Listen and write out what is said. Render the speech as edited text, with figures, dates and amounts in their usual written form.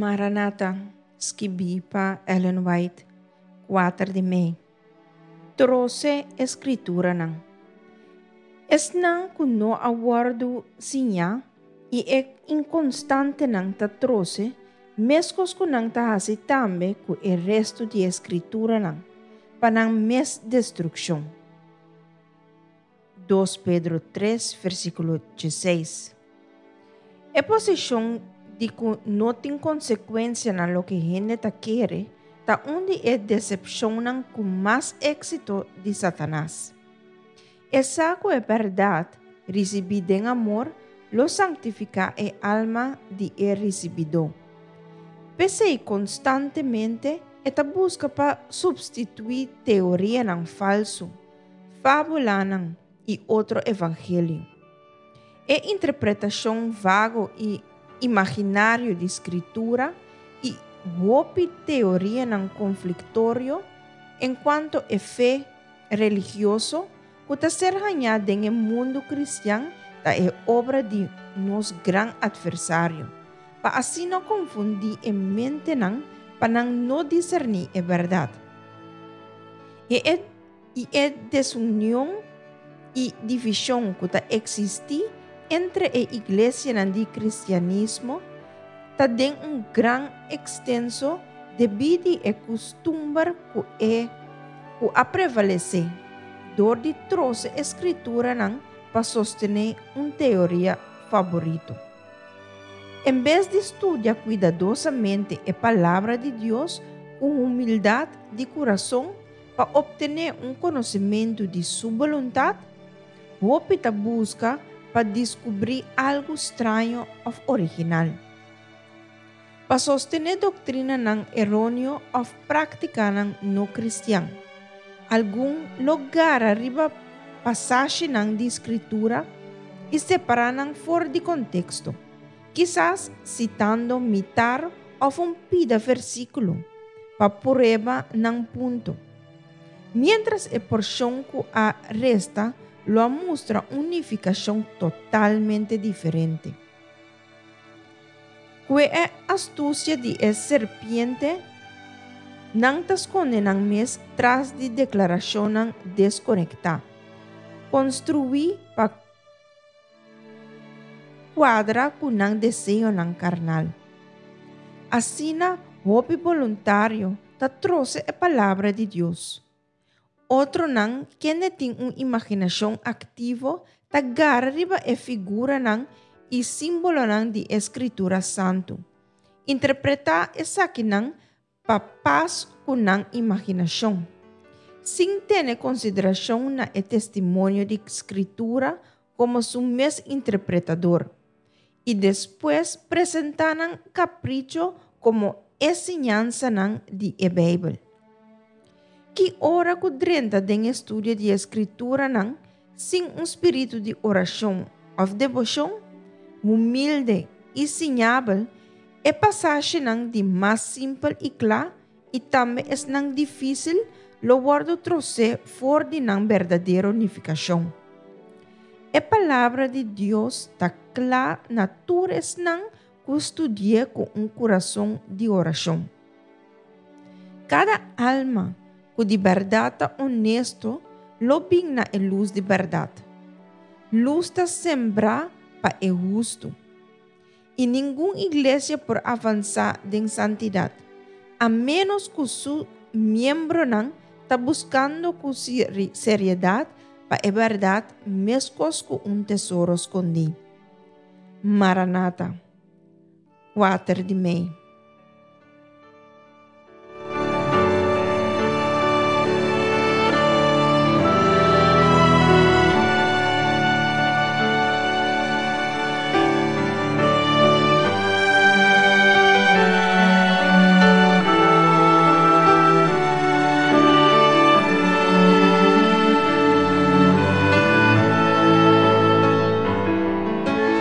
Maranata, skibí pa Ellen White, 4 di mei. Trose e Skrituranan. Esnan ku no a wòrdu siñá i e inkonstantenan ta trose, meskos ku nan ta hasi tambe ku e restu di e Skrituranan, pa nan mes destrukshon. 2 Pedro 3, versíkulo 16. E posishon di ku no tin konsekuensia na loke hende ta kere ta un di e desepshonnan ku mas éksito di Satanas. E sa ku e bèrdat risibí den amor lo sanktifiká e alma di e risibidó. P'esei konstantemente e ta buska pa supstituí teorianan falsu, fábulanan i otro evangelio. E interpretashon vago i imaginario di Skritura i hopi teorianan konfliktorio enkuanto e fe religioso ku ta ser hañá den e mundu kristian ta e obra di nos gran atversario, pa asina konfundí e mentenan pa nan no diserní e bèrdat. I e i e desunion i divishon ku ta eksistí entre e iglesianan di kristianismo ta den un gran ekstenso debí di e kustumber ku e ku a prevalesé dor di trose e skrituranan pa sostené un teoria faborito. En bes di studia kuidadosamente e Palabra di Dios ku humildat di kurason, Pa obtené un konosementu di Su boluntat, hopi ta buska pa diskubrí algu straño òf original. Pa sostené doktrinanan eróneo òf práktikanan no kristian, algun lo gara riba pasashinan di Skritura i separá nan for di konteksto, kisas sitando mitar òf un pida versíkulo pa prueba nan punto. Miéntras e porshon ku a resta lo a mustra un nifikashon totalmente diferente. Ku e astusia di e serpiente, nan ta skonde nan mes tras di deklarashonnan deskonektá, konstruí pa Kuadra ku nan deseonan karnal. Asina hopi boluntario ta trose e Palabra di Dios. Otronan kende tin un imaginashon aktivo ta gara riba e figuranan i símbolonan di e Skritura Santu. Interpretá esakinan pa pas ku nan imaginashon, sin tene konsiderashon na e testimonio di Skritura komo su mes interpretador, i despues presentá nan kapricho komo e siñansanan di e Beibel. Ki ora ku drenta den e studio di e Skrituranan sin un spiritu di orashon òf deboshon, humilde i siñabel, E pasashenan di mas simpel i kla i tambe esnan difísil lo wòrdu trosé for di nan berdadero nifikashon. E Palabra di Dios ta kla na tur esnan ku studi'é ku un kurason di orashon. Kada alma ku di bèrdat ta onesto lo bin na e lus di bèrdat. Lus ta sembrá pa e hustu. I ningun iglesia por avansá den santidat, a ménos ku su miembronan ta buskando ku seriedat pa e bèrdat meskos ku un tesoro skondí. Maranata. 4 di mei.